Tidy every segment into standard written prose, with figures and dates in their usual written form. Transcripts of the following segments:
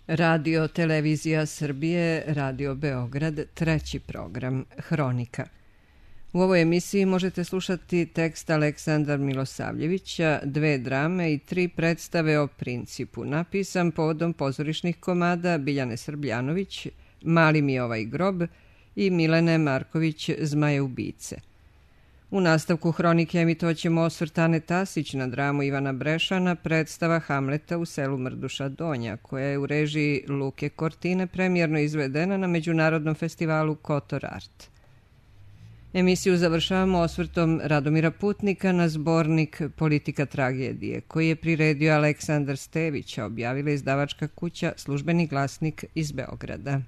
Radio Televizija Srbije, Radio Beograd, treći program, Hronika. U ovoj emisiji možete slušati tekst Aleksandra Milosavljevića, 2 drame i 3 predstave o principu, napisan povodom pozorišnih komada Biljane Srbljanović, Mali mi ovaj grob i Milene Marković, Zmaje ubice. U nastavku Hronike emitovaćemo osvrt Ane Tasić na dramu Ivana Brešana, predstava Hamleta u selu Mrduša Donja, koja je u režiji Luke Kortine premijerno izvedena na Međunarodnom festivalu Kotor Art. Emisiju završavamo osvrtom Radomira Putnika na zbornik Politika tragedije, koji je priredio Aleksandar Stević, a objavila izdavačka kuća Službeni glasnik iz Beograda.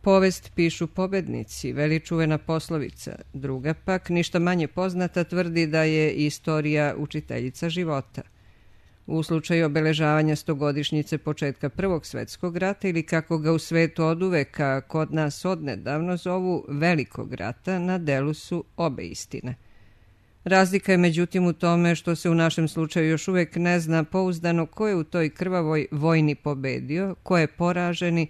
Povest pišu pobednici, veli čuvena poslovica. Druga pak, ništa manje poznata, tvrdi da je istorija učiteljica života. U slučaju obeležavanja 100-godišnjice početka Prvog svetskog rata ili kako ga u svetu oduveka kod nas odnedavno zovu Velikog rata, na delu su obe istine. Razlika je međutim u tome što se u našem slučaju još uvek ne zna pouzdano ko je u toj krvavoj vojni pobedio, ko je poraženi,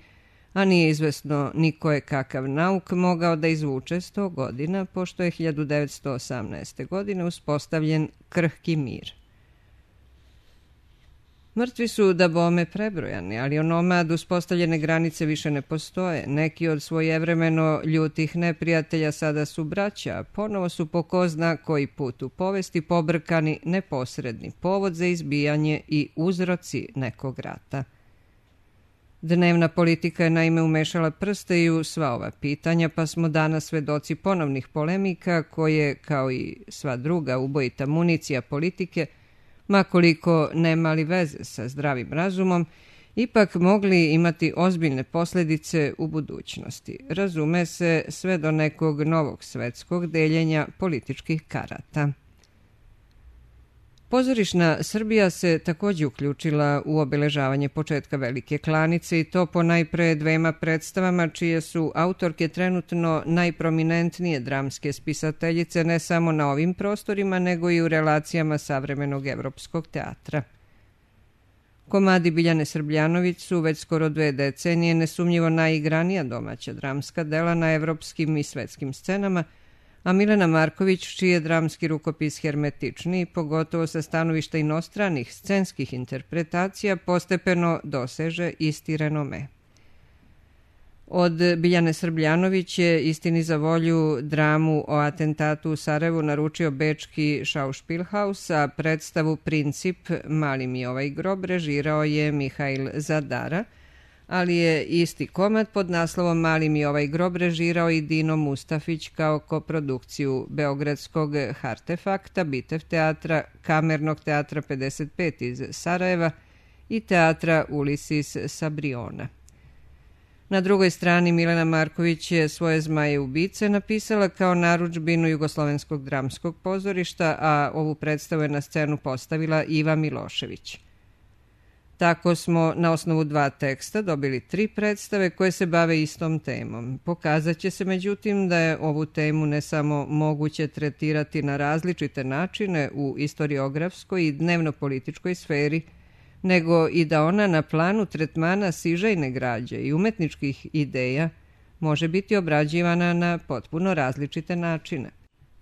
a nije izvesno ni ko je kakav nauk mogao da izvuče 100 godina, pošto je 1918. godine uspostavljen krhki mir. Mrtvi su da bome prebrojani, ali onomad uspostavljene granice više ne postoje. Neki od svojevremeno ljutih neprijatelja sada su braća, a ponovo su po ko zna koji put u povesti pobrkani neposredni povod za izbijanje i uzroci nekog rata. Dnevna politika je naime umešala prste i u sva ova pitanja, pa smo danas svedoci ponovnih polemika koje, kao i sva druga ubojita municija politike, makoliko nemali veze sa zdravim razumom, ipak mogli imati ozbiljne posljedice u budućnosti. Razume se, sve do nekog novog svetskog deljenja političkih karata. Pozorišna Srbija se također uključila u obeležavanje početka Velike klanice i to po najpre 2 predstavama čije su autorke trenutno najprominentnije dramske spisateljice ne samo na ovim prostorima nego i u relacijama savremenog evropskog teatra. Komadi Biljane Srbljanović su već skoro 2 decenije nesumnjivo najigranija domaća dramska dela na evropskim i svetskim scenama, a Milena Marković, čiji je dramski rukopis hermetičniji, pogotovo sa stanovišta inostranih scenskih interpretacija, postepeno doseže isti renome. Od Biljane Srbljanović je istini za volju dramu o atentatu u Sarajevu naručio bečki Schauspielhaus, a predstavu Princip, Mali mi ovaj grob režirao je Mihail Zadara, ali je isti komad pod naslovom Mali mi ovaj grob režirao i Dino Mustafić kao koprodukciju Beogradskog Hartefakta, Bitev teatra, Kamernog teatra 55 iz Sarajeva i teatra Ulisis sa Briona. Na drugoj strani Milena Marković je svoje Zmaje ubice napisala kao narudžbinu Jugoslovenskog dramskog pozorišta, a ovu predstavu je na scenu postavila Iva Milošević. Tako smo na osnovu 2 teksta dobili 3 predstave koje se bave istom temom. Pokazat će se međutim da je ovu temu ne samo moguće tretirati na različite načine u istoriografskoj i dnevno-političkoj sferi, nego i da ona na planu tretmana sižajne građe i umetničkih ideja može biti obrađivana na potpuno različite načine.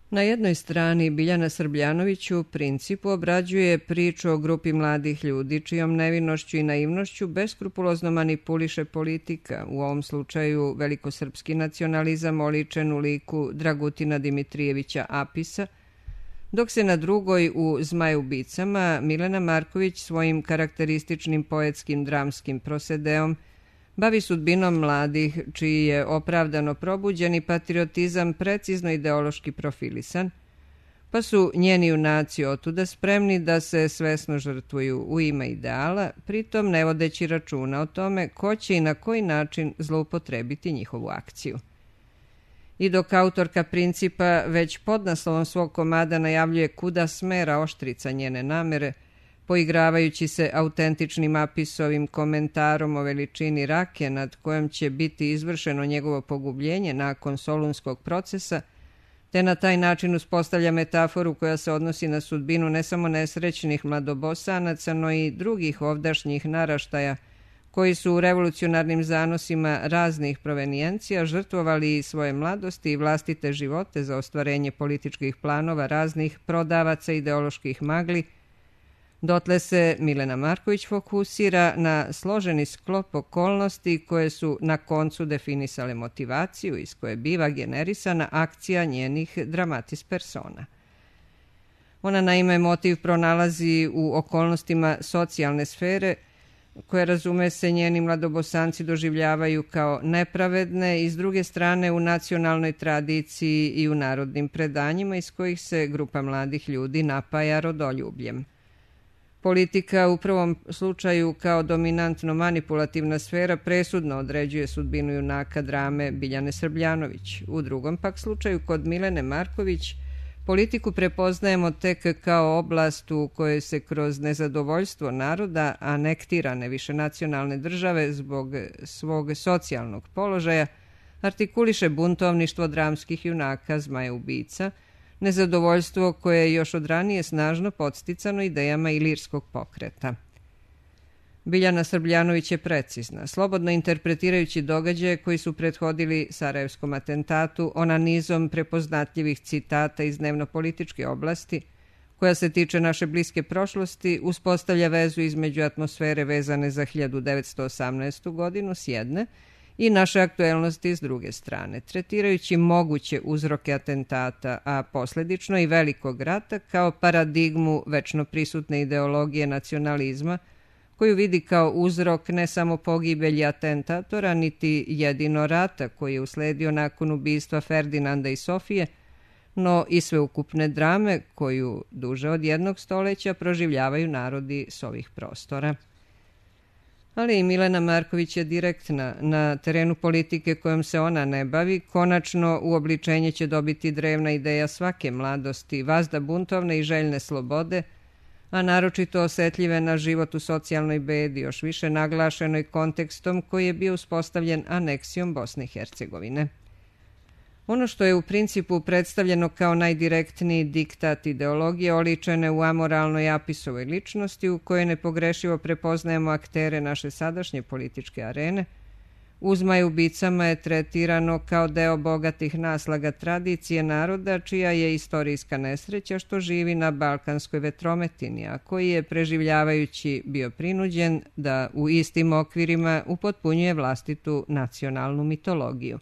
Na jednoj strani Biljana Srbljanović u Principu obrađuje priču o grupi mladih ljudi čijom nevinošću i naivnošću beskrupulozno manipuliše politika, u ovom slučaju velikosrpski nacionalizam oličen u liku Dragutina Dimitrijevića Apisa, dok se na drugoj u Zmaju ubicama Milena Marković svojim karakterističnim poetskim dramskim prosedeom bavi sudbinom mladih čiji je opravdano probuđeni patriotizam precizno ideološki profilisan, pa su njeni junaci otuda spremni da se svesno žrtvuju u ime ideala, pritom ne vodeći računa o tome ko će i na koji način zloupotrebiti njihovu akciju. I dok autorka Principa već pod naslovom svog komada najavljuje kuda smera oštrica njene namere, poigravajući se autentičnim Apisovim komentarom o veličini Rake nad kojom će biti izvršeno njegovo pogubljenje nakon Solunskog procesa, te na taj način uspostavlja metaforu koja se odnosi na sudbinu ne samo nesrećnih mladobosanaca, no i drugih ovdašnjih naraštaja koji su u revolucionarnim zanosima raznih provenijencija žrtvovali svoje mladosti i vlastite živote za ostvarenje političkih planova raznih prodavaca ideoloških magli. Dotle se Milena Marković fokusira na složeni sklop okolnosti koje su na koncu definisale motivaciju iz koje biva generisana akcija njenih dramatis persona. Ona naime motiv pronalazi u okolnostima socijalne sfere koje, razume se, njeni mladobosanci doživljavaju kao nepravedne i s druge strane u nacionalnoj tradiciji i u narodnim predanjima iz kojih se grupa mladih ljudi napaja rodoljubljem. Politika u prvom slučaju kao dominantno manipulativna sfera presudno određuje sudbinu junaka drame Biljane Srbljanović. U drugom pak slučaju kod Milene Marković politiku prepoznajemo tek kao oblast u kojoj se kroz nezadovoljstvo naroda anektirane višenacionalne države zbog svog socijalnog položaja artikuliše buntovništvo dramskih junaka Zmaja ubica, nezadovoljstvo koje je još od ranije snažno podsticano idejama ilirskog pokreta. Biljana Srbljanović je precizna, slobodno interpretirajući događaje koji su prethodili Sarajevskom atentatu, ona nizom prepoznatljivih citata iz dnevno-političke oblasti, koja se tiče naše bliske prošlosti, uspostavlja vezu između atmosfere vezane za 1918. godinu s jedne i naše aktuelnosti s druge strane, tretirajući moguće uzroke atentata, a posljedično i velikog rata kao paradigmu večno prisutne ideologije nacionalizma, koju vidi kao uzrok ne samo pogibelji atentatora, niti jedino rata koji je usledio nakon ubistva Ferdinanda i Sofije, no i sveukupne drame koju duže od jednog stoleća proživljavaju narodi s ovih prostora. Ali i Milena Marković je direktna. Na terenu politike kojom se ona ne bavi, konačno uobličenje će dobiti drevna ideja svake mladosti, vazda buntovne i željne slobode, a naročito osetljive na život u socijalnoj bedi, još više naglašenoj kontekstom koji je bio uspostavljen aneksijom Bosne i Hercegovine. Ono što je u principu predstavljeno kao najdirektniji diktat ideologije oličene u amoralnoj Apisovoj ličnosti u kojoj nepogrešivo prepoznajemo aktere naše sadašnje političke arene, u Zmaju ubicama je tretirano kao deo bogatih naslaga tradicije naroda čija je istorijska nesreća što živi na balkanskoj vetrometini, a koji je preživljavajući bio prinuđen da u istim okvirima upotpunjuje vlastitu nacionalnu mitologiju.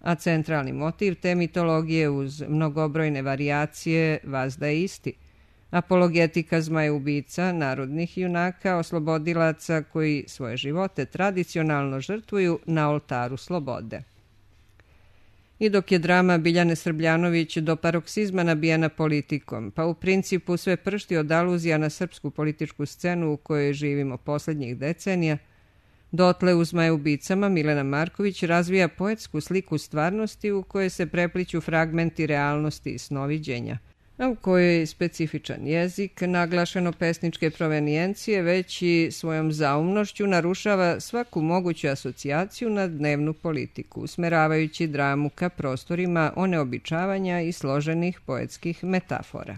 A centralni motiv te mitologije uz mnogobrojne varijacije vazda je isti. Apologetika Zmaja ubica, narodnih junaka, oslobodilaca koji svoje živote tradicionalno žrtvuju na oltaru slobode. I dok je drama Biljane Srbljanović do paroksizma nabijena politikom, pa u principu sve pršti od aluzija na srpsku političku scenu u kojoj živimo posljednjih decenija, dotle u Zmaju ubicama Milena Marković razvija poetsku sliku stvarnosti u kojoj se prepliću fragmenti realnosti i snoviđenja, a u kojoj je specifičan jezik, naglašeno pesničke provenijencije, već i svojom zaumnošću narušava svaku moguću asocijaciju na dnevnu politiku, usmeravajući dramu ka prostorima oneobičavanja i složenih poetskih metafora.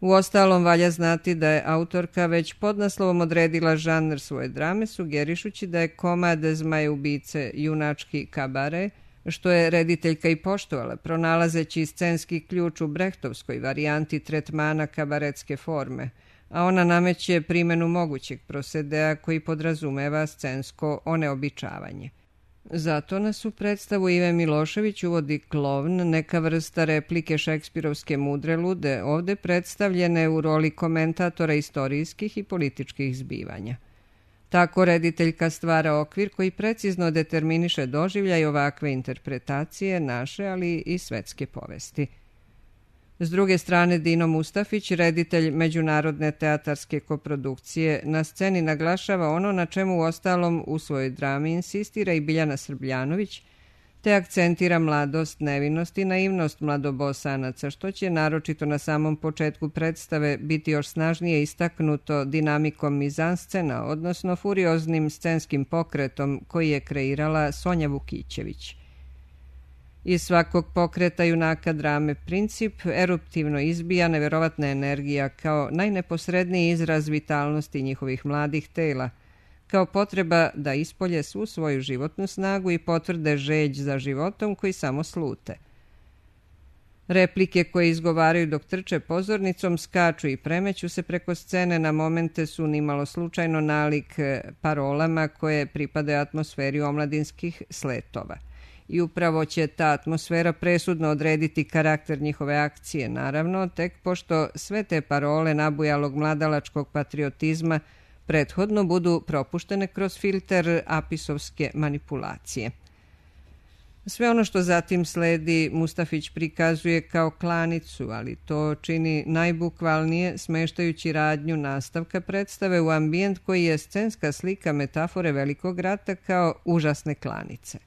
Uostalom, valja znati da je autorka već podnaslovom odredila žanr svoje drame, sugerišući da je komad Zmaja ubice junački kabare, što je rediteljka i poštovala, pronalazeći scenski ključ u brehtovskoj varijanti tretmana kabaretske forme, a ona nameće primjenu mogućeg prosedea koji podrazumeva scensko oneobičavanje. Zato nas u predstavu Ive Milošević uvodi klovn, neka vrsta replike šekspirovske mudre lude, ovde predstavljene u roli komentatora istorijskih i političkih zbivanja. Tako rediteljka stvara okvir koji precizno determiniše doživljaj ovakve interpretacije naše, ali i svetske povesti. S druge strane, Dino Mustafić, reditelj međunarodne teatarske koprodukcije, na sceni naglašava ono na čemu uostalom u svojoj drami insistira i Biljana Srbljanović, te akcentira mladost, nevinost i naivnost mladobosanaca, što će naročito na samom početku predstave biti još snažnije istaknuto dinamikom mizanscena, odnosno furioznim scenskim pokretom koji je kreirala Sonja Vukićević. Iz svakog pokreta junaka drame Princip eruptivno izbija neverovatna energija kao najneposredniji izraz vitalnosti njihovih mladih tela, kao potreba da ispolje svu svoju životnu snagu i potvrde žeđ za životom koji samo slute. Replike koje izgovaraju dok trče pozornicom skaču i premeću se preko scene, na momente su nimalo slučajno nalik parolama koje pripadaju atmosferi omladinskih sletova. I upravo će ta atmosfera presudno odrediti karakter njihove akcije, naravno, tek pošto sve te parole nabujalog mladalačkog patriotizma prethodno budu propuštene kroz filter apisovske manipulacije. Sve ono što zatim sledi Mustafić prikazuje kao klanicu, ali to čini najbukvalnije smeštajući radnju nastavka predstave u ambijent koji je scenska slika metafore Velikog rata kao užasne klanice.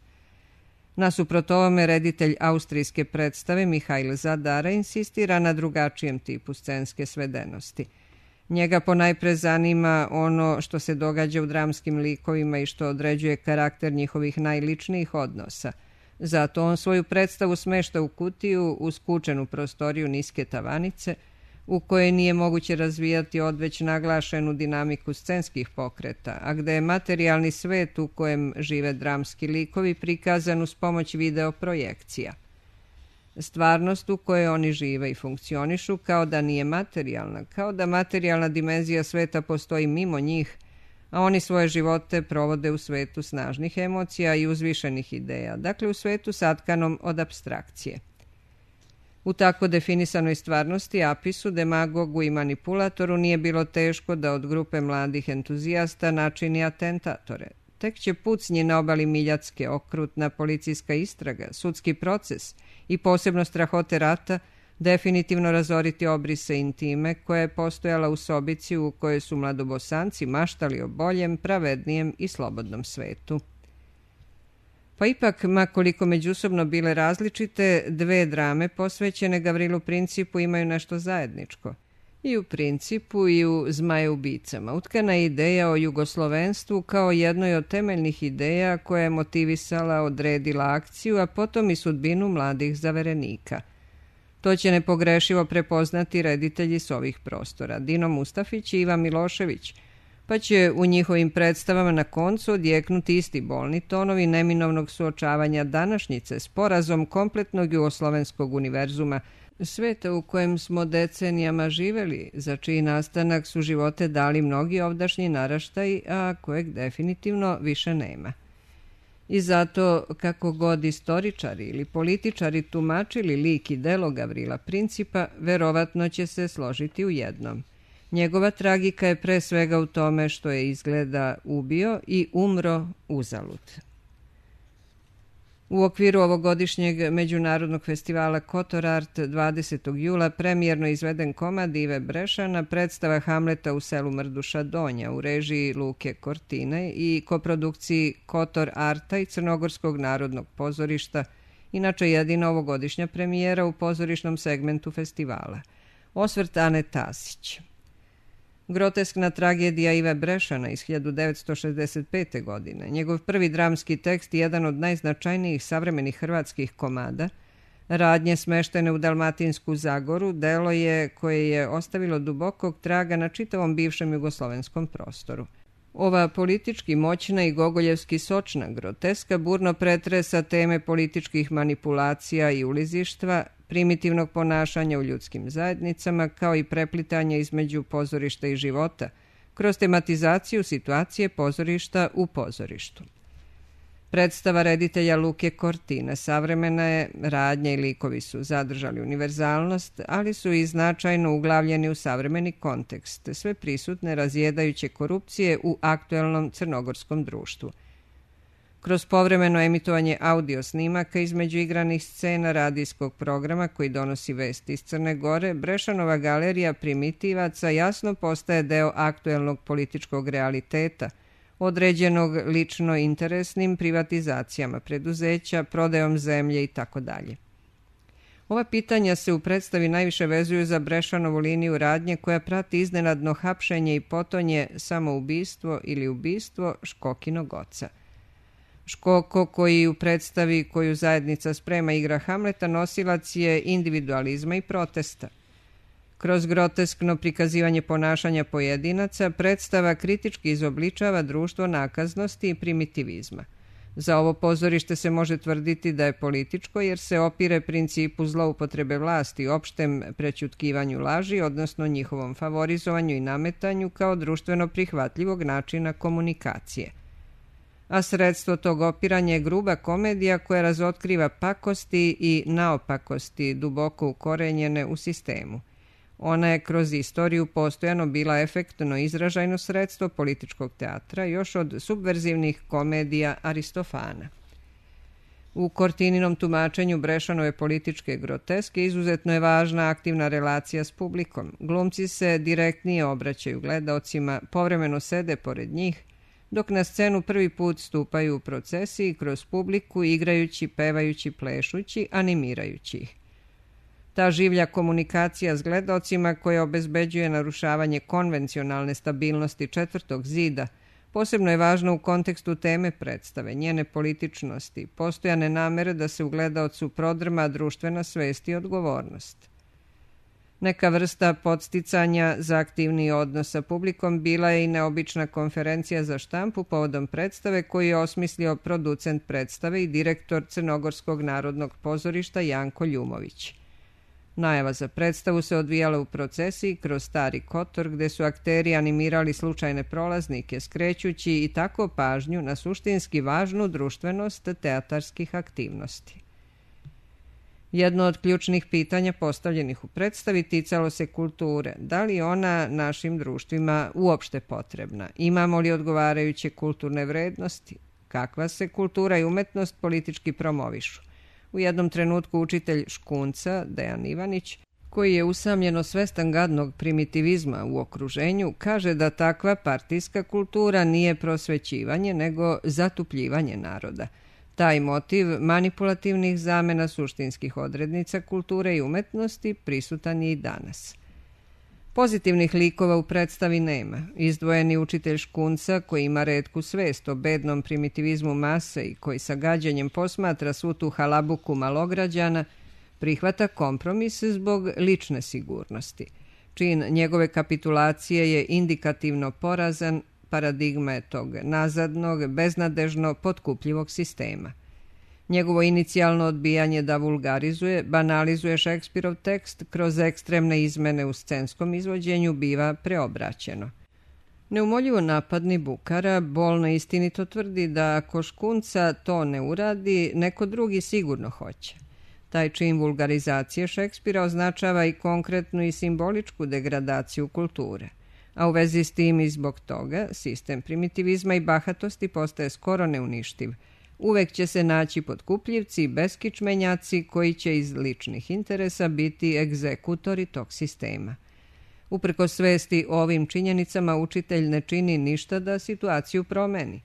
Nasuprot ovome, reditelj austrijske predstave Mihail Zadara insistira na drugačijem tipu scenske svedenosti. Njega ponajpre zanima ono što se događa u dramskim likovima i što određuje karakter njihovih najličnijih odnosa. Zato on svoju predstavu smešta u kutiju, u skučenu prostoriju niske tavanice, u kojoj nije moguće razvijati odveć naglašenu dinamiku scenskih pokreta, a gde je materijalni svet u kojem žive dramski likovi prikazan uz pomoć videoprojekcija. Stvarnost u kojoj oni žive i funkcionišu kao da nije materijalna, kao da materijalna dimenzija sveta postoji mimo njih, a oni svoje živote provode u svetu snažnih emocija i uzvišenih ideja, dakle u svetu satkanom od apstrakcije. U tako definisanoj stvarnosti, apisu, demagogu i manipulatoru nije bilo teško da od grupe mladih entuzijasta načini atentatore. Tek će pucnji na obali Miljacke, okrutna policijska istraga, sudski proces i posebno strahote rata definitivno razoriti obrise intime koja je postojala u sobici u kojoj su mladobosanci maštali o boljem, pravednijem i slobodnom svetu. Pa ipak, makoliko međusobno bile različite, dve drame posvećene Gavrilu Principu imaju nešto zajedničko. I u Principu i u Zmajeubicama utkana je ideja o jugoslovenstvu kao jednoj od temeljnih ideja koja je motivisala, odredila akciju, a potom i sudbinu mladih zaverenika. To će nepogrešivo prepoznati reditelji s ovih prostora, Dino Mustafić i Ivan Milošević, pa će u njihovim predstavama na koncu odjeknuti isti bolni tonovi neminovnog suočavanja današnjice s porazom kompletnog jugoslovenskog univerzuma, sveta u kojem smo decenijama živeli, za čiji nastanak su živote dali mnogi ovdašnji naraštaji, a kojeg definitivno više nema. I zato, kako god istoričari ili političari tumačili lik i delo Gavrila Principa, verovatno će se složiti u jednom. Njegova tragika je pre svega u tome što je izgleda ubio i umro uzalud. U okviru ovogodišnjeg međunarodnog festivala Kotor Art 20. jula premijerno izveden komad Ive Brešana, predstava Hamleta u selu Mrduša Donja u režiji Luke Kortine i koprodukciji Kotor Arta i Crnogorskog narodnog pozorišta, inače jedina ovogodišnja premijera u pozorišnom segmentu festivala. Osvrt Ane Tasić. Groteskna tragedija Ive Brešana iz 1965. godine, njegov prvi dramski tekst i jedan od najznačajnijih savremenih hrvatskih komada, radnje smeštene u Dalmatinsku Zagoru, delo je koje je ostavilo dubokog traga na čitavom bivšem jugoslovenskom prostoru. Ova politički moćna i gogoljevski sočna groteska burno pretresa teme političkih manipulacija i ulizištva, primitivnog ponašanja u ljudskim zajednicama, kao i preplitanja između pozorišta i života, kroz tematizaciju situacije pozorišta u pozorištu. Predstava reditelja Luke Kortine savremena je, radnja i likovi su zadržali univerzalnost, ali su i značajno uglavljeni u savremeni kontekst, sve prisutne razjedajuće korupcije u aktuelnom crnogorskom društvu. Kroz povremeno emitovanje audio snimaka između igranih scena radijskog programa koji donosi vesti iz Crne Gore, Brešanova galerija primitivaca jasno postaje deo aktuelnog političkog realiteta, određenog lično interesnim privatizacijama preduzeća, prodajom zemlje itd. Ova pitanja se u predstavi najviše vezuju za Brešanovu liniju radnje koja prati iznenadno hapšenje i potonje samoubistvo ili ubistvo Škokinog oca. Škoko, koji u predstavi koju zajednica sprema igra Hamleta, nosilac je individualizma i protesta. Kroz groteskno prikazivanje ponašanja pojedinaca, predstava kritički izobličava društvo nakaznosti i primitivizma. Za ovo pozorište se može tvrditi da je političko jer se opire principu zloupotrebe vlasti i opštem prećutkivanju laži, odnosno njihovom favorizovanju i nametanju kao društveno prihvatljivog načina komunikacije. A sredstvo tog opiranja je gruba komedija koja razotkriva pakosti i naopakosti duboko ukorenjene u sistemu. Ona je kroz istoriju postojano bila efektno izražajno sredstvo političkog teatra još od subverzivnih komedija Aristofana. U Cortininom tumačenju Brešanove političke groteske izuzetno je važna aktivna relacija s publikom. Glumci se direktnije obraćaju gledaocima, povremeno sede pored njih, dok na scenu prvi put stupaju u procesiji kroz publiku, igrajući, pevajući, plešući, animirajući ih. Ta življa komunikacija s gledaocima koja obezbeđuje narušavanje konvencionalne stabilnosti četvrtog zida posebno je važna u kontekstu teme predstave, njene političnosti, postojane namere da se u gledaocu prodrma društvena svest i odgovornost. Neka vrsta podsticanja za aktivniji odnos sa publikom bila je i neobična konferencija za štampu povodom predstave koju je osmislio producent predstave i direktor Crnogorskog narodnog pozorišta Janko Ljumović. Najava za predstavu se odvijala u procesiji kroz Stari Kotor, gde su akteri animirali slučajne prolaznike, skrećući i tako pažnju na suštinski važnu društvenost teatarskih aktivnosti. Jedno od ključnih pitanja postavljenih u predstavi ticalo se kulture. Da li je ona našim društvima uopšte potrebna? Imamo li odgovarajuće kulturne vrednosti? Kakva se kultura i umetnost politički promovišu? U jednom trenutku učitelj Škunca, Dejan Ivanić, koji je usamljeno svestan gadnog primitivizma u okruženju, kaže da takva partijska kultura nije prosvećivanje, nego zatupljivanje naroda. Taj motiv manipulativnih zamena suštinskih odrednica kulture i umetnosti prisutan je i danas. Pozitivnih likova u predstavi nema. Izdvojeni učitelj Škunca, koji ima retku svest o bednom primitivizmu mase i koji sa gađenjem posmatra svu tu halabuku malograđana, prihvata kompromis zbog lične sigurnosti. Čin njegove kapitulacije je indikativno porazan, paradigma je tog nazadnog, beznadežno potkupljivog sistema. Njegovo inicijalno odbijanje da vulgarizuje, banalizuje Šekspirov tekst kroz ekstremne izmene u scenskom izvođenju biva preobraćeno. Neumoljivo napadni Bukara bolno istinito tvrdi da ako Škunca to ne uradi, neko drugi sigurno hoće. Taj čin vulgarizacije Šekspira označava i konkretnu i simboličku degradaciju kulture. A u vezi s tim i zbog toga sistem primitivizma i bahatosti postaje skoro neuništiv. Uvek će se naći potkupljivci i beskičmenjaci koji će iz ličnih interesa biti egzekutori tog sistema. Uprkos svesti o ovim činjenicama, učitelj ne čini ništa da situaciju promeni.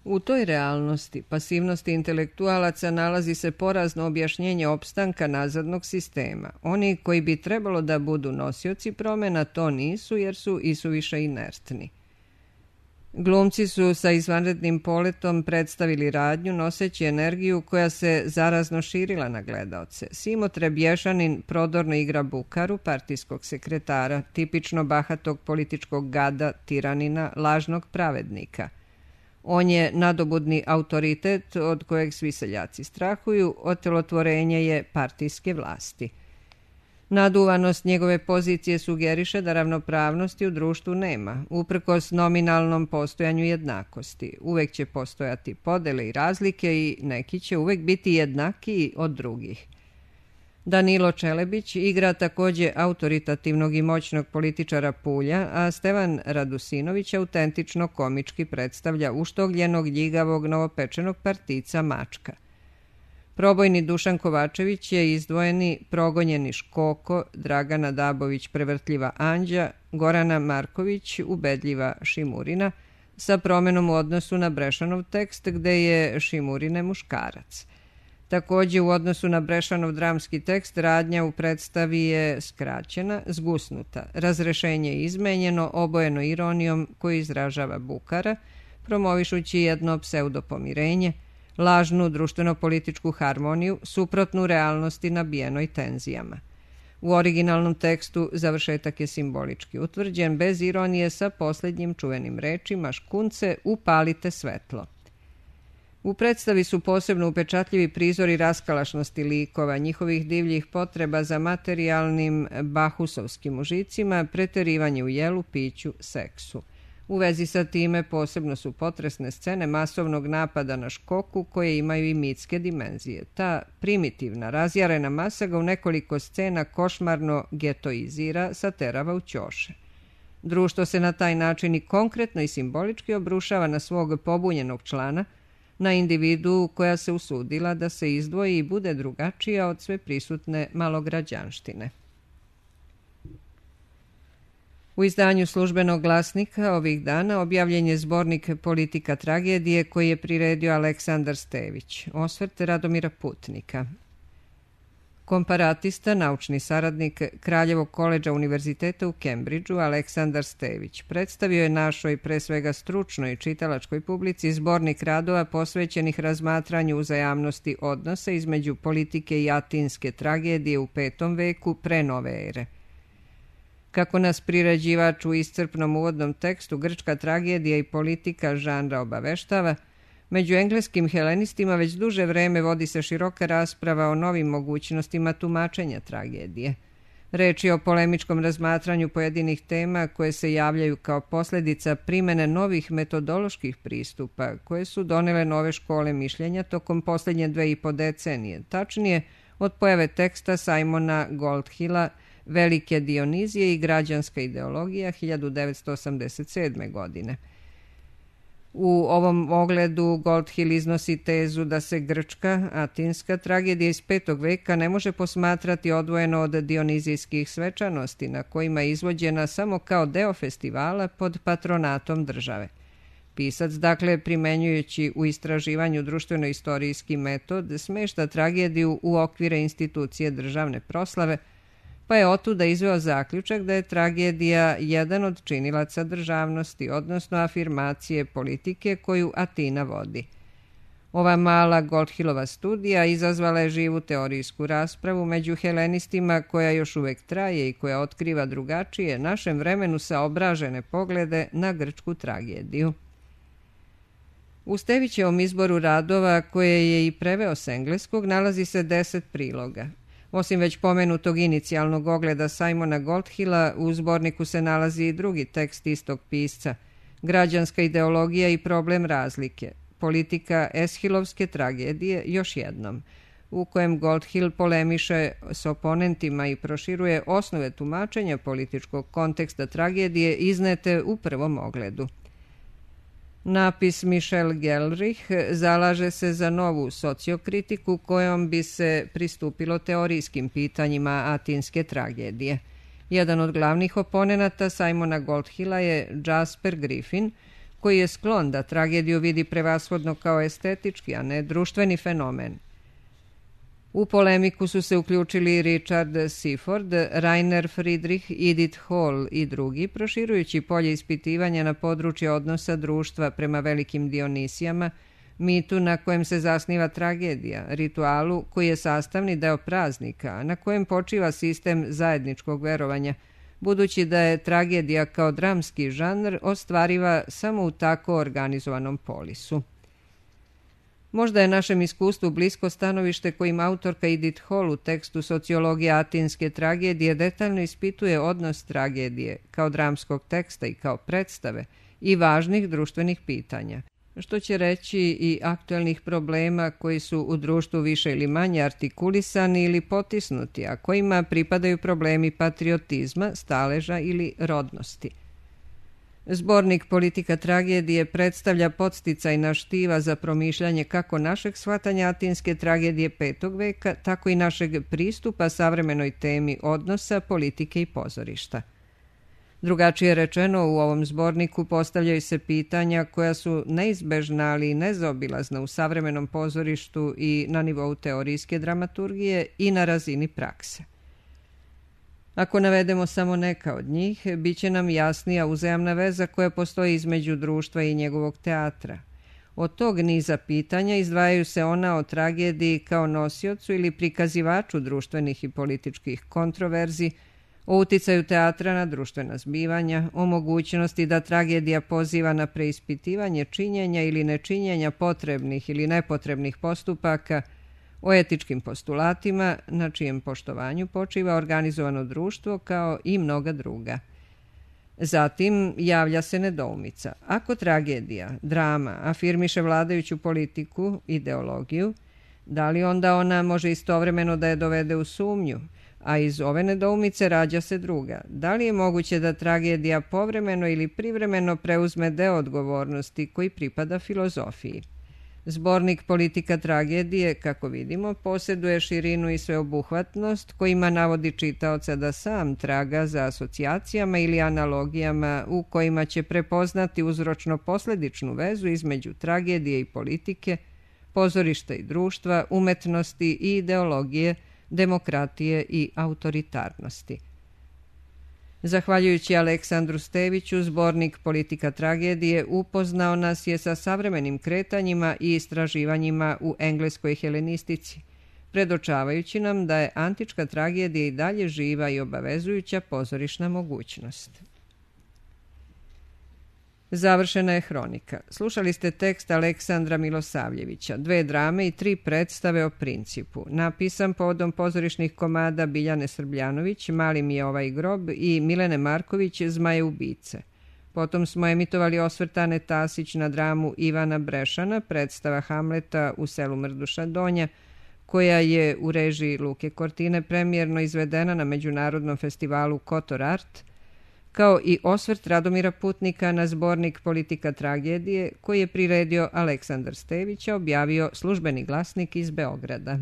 U toj realnosti, pasivnosti intelektualaca, nalazi se porazno objašnjenje opstanka nazadnog sistema. Oni koji bi trebalo da budu nosioci promena to nisu jer su isuviše inertni. Glumci su sa izvanrednim poletom predstavili radnju noseći energiju koja se zarazno širila na gledaoce. Simo Trebješanin prodorno igra Bukaru, partijskog sekretara, tipično bahatog političkog gada, tiranina, lažnog pravednika. On je nadobudni autoritet od kojeg svi seljaci strahuju, otelotvorenje je partijske vlasti. Naduvanost njegove pozicije sugeriše da ravnopravnosti u društvu nema, uprkos nominalnom postojanju jednakosti. Uvek će postojati podele i razlike i neki će uvek biti jednakiji od drugih. Danilo Čelebić igra takođe autoritativnog i moćnog političara Pulja, a Stevan Radusinović autentično komički predstavlja uštogljenog, ljigavog, novopečenog partica Mačka. Probojni Dušan Kovačević je izdvojeni progonjeni Škoko, Dragana Dabović prevrtljiva Anđa, Gorana Marković ubedljiva Šimurina, sa promenom u odnosu na Brešanov tekst gde je Šimurine muškarac. Takođe, u odnosu na Brešanov dramski tekst, radnja u predstavi je skraćena, zgusnuta. Razrešenje je izmenjeno, obojeno ironijom koju izražava Bukara, promovišući jedno pseudopomirenje, lažnu društveno-političku harmoniju, suprotnu realnosti nabijenoj tenzijama. U originalnom tekstu završetak je simbolički utvrđen, bez ironije, sa posljednjim čuvenim rečima škunce upalite svetlo. U predstavi su posebno upečatljivi prizori raskalašnosti likova, njihovih divljih potreba za materijalnim bahusovskim užicima, preterivanje u jelu, piću, seksu. U vezi sa time posebno su potresne scene masovnog napada na Škoku koje imaju i mitske dimenzije. Ta primitivna, razjarena masa ga u nekoliko scena košmarno getoizira, saterava u ćoše. Društvo se na taj način i konkretno i simbolički obrušava na svog pobunjenog člana, na individu koja se usudila da se izdvoji i bude drugačija od sve prisutne malograđanštine. U izdanju Službenog glasnika ovih dana objavljen je zbornik Politika tragedije koji je priredio Aleksandar Stević, osvrt Radomira Putnika. Komparatista, naučni saradnik Kraljevog koledža Univerziteta u Kembridžu, Aleksandar Stević, predstavio je našoj, pre svega stručnoj čitalačkoj publici, zbornik radova posvećenih razmatranju uzajamnosti odnosa između politike i atinske tragedije u 5. veku pre nove ere. Kako nas priređivač u iscrpnom uvodnom tekstu Grčka tragedija i politika žanra obaveštava, među engleskim helenistima već duže vreme vodi se široka rasprava o novim mogućnostima tumačenja tragedije. Reč je o polemičkom razmatranju pojedinih tema koje se javljaju kao posljedica primene novih metodoloških pristupa koje su donele nove škole mišljenja tokom posljednje 2,5 decenije, tačnije od pojave teksta Simona Goldhilla Velike Dionizije i građanska ideologija 1987. godine. U ovom ogledu Goldhill iznosi tezu da se grčka, atinska tragedija iz 5. veka ne može posmatrati odvojeno od dionizijskih svečanosti na kojima je izvođena samo kao deo festivala pod patronatom države. Pisac, dakle, primenjujući u istraživanju društveno-istorijski metod, smešta tragediju u okvire institucije državne proslave, pa je otuda izveo zaključak da je tragedija jedan od činilaca državnosti, odnosno afirmacije politike koju Atina vodi. Ova mala Goldhillova studija izazvala je živu teorijsku raspravu među helenistima koja još uvek traje i koja otkriva drugačije, našem vremenu saobražene poglede na grčku tragediju. U Stevićevom izboru radova, koje je i preveo s engleskog, nalazi se 10 priloga. Osim već pomenutog inicijalnog ogleda Simona Goldhilla, u zborniku se nalazi i drugi tekst istog pisca, Građanska ideologija i problem razlike, politika Eshilovske tragedije još jednom, u kojem Goldhill polemiše s oponentima i proširuje osnove tumačenja političkog konteksta tragedije iznete u prvom ogledu. Napis Michel Gelrich zalaže se za novu sociokritiku kojom bi se pristupilo teorijskim pitanjima atinske tragedije. Jedan od glavnih oponenata Simona Goldhilla je Jasper Griffin, koji je sklon da tragediju vidi prevashodno kao estetički, a ne društveni fenomen. U polemiku su se uključili Richard Seaford, Rainer Friedrich, Edith Hall i drugi, proširujući polje ispitivanja na područje odnosa društva prema velikim Dionisijama, mitu na kojem se zasniva tragedija, ritualu koji je sastavni deo praznika, na kojem počiva sistem zajedničkog verovanja, budući da je tragedija kao dramski žanr ostvariva samo u tako organizovanom polisu. Možda je našem iskustvu blisko stanovište kojim autorka Edith Hall u tekstu Sociologija atinske tragedije detaljno ispituje odnos tragedije kao dramskog teksta i kao predstave i važnih društvenih pitanja, što će reći i aktuelnih problema koji su u društvu više ili manje artikulisani ili potisnuti, a kojima pripadaju problemi patriotizma, staleža ili rodnosti. Zbornik Politika tragedije predstavlja podsticajna štiva za promišljanje kako našeg shvatanja atinske tragedije 5. veka, tako i našeg pristupa savremenoj temi odnosa, politike i pozorišta. Drugačije rečeno, u ovom zborniku postavljaju se pitanja koja su neizbežna, ali i nezaobilazna u savremenom pozorištu i na nivou teorijske dramaturgije i na razini prakse. Ako navedemo samo neka od njih, bit će nam jasnija uzajamna veza koja postoji između društva i njegovog teatra. Od tog niza pitanja izdvajaju se ona o tragediji kao nosiocu ili prikazivaču društvenih i političkih kontroverzi, o uticaju teatra na društvena zbivanja, o mogućnosti da tragedija poziva na preispitivanje činjenja ili nečinjenja potrebnih ili nepotrebnih postupaka, o etičkim postulatima na čijem poštovanju počiva organizovano društvo kao i mnoga druga. Zatim javlja se nedoumica. Ako tragedija, drama, afirmiše vladajuću politiku, ideologiju, da li onda ona može istovremeno da je dovede u sumnju? A iz ove nedoumice rađa se druga. Da li je moguće da tragedija povremeno ili privremeno preuzme deo odgovornosti koji pripada filozofiji? Zbornik Politika tragedije, kako vidimo, posjeduje širinu i sveobuhvatnost kojima navodi čitaoca da sam traga za asocijacijama ili analogijama u kojima će prepoznati uzročno-posledičnu vezu između tragedije i politike, pozorišta i društva, umetnosti i ideologije, demokratije i autoritarnosti. Zahvaljujući Aleksandru Steviću, zbornik Politika tragedije upoznao nas je sa savremenim kretanjima i istraživanjima u engleskoj helenistici, predočavajući nam da je antička tragedija i dalje živa i obavezujuća pozorišna mogućnost. Završena je hronika. Slušali ste tekst Aleksandra Milosavljevića, 2 drame i 3 predstave o Principu, napisan povodom pozorišnih komada Biljane Srbljanović, Mali mi je ovaj grob i Milene Marković, Zmaje ubice. Potom smo emitovali osvrt Ane Tasić na dramu Ivana Brešana, predstava Hamleta u selu Mrduša Donja, koja je u režiji Luke Kortine premijerno izvedena na Međunarodnom festivalu Kotor Art, kao i osvrt Radomira Putnika na zbornik Politika tragedije koji je priredio Aleksandar Stević, objavio Službeni glasnik iz Beograda.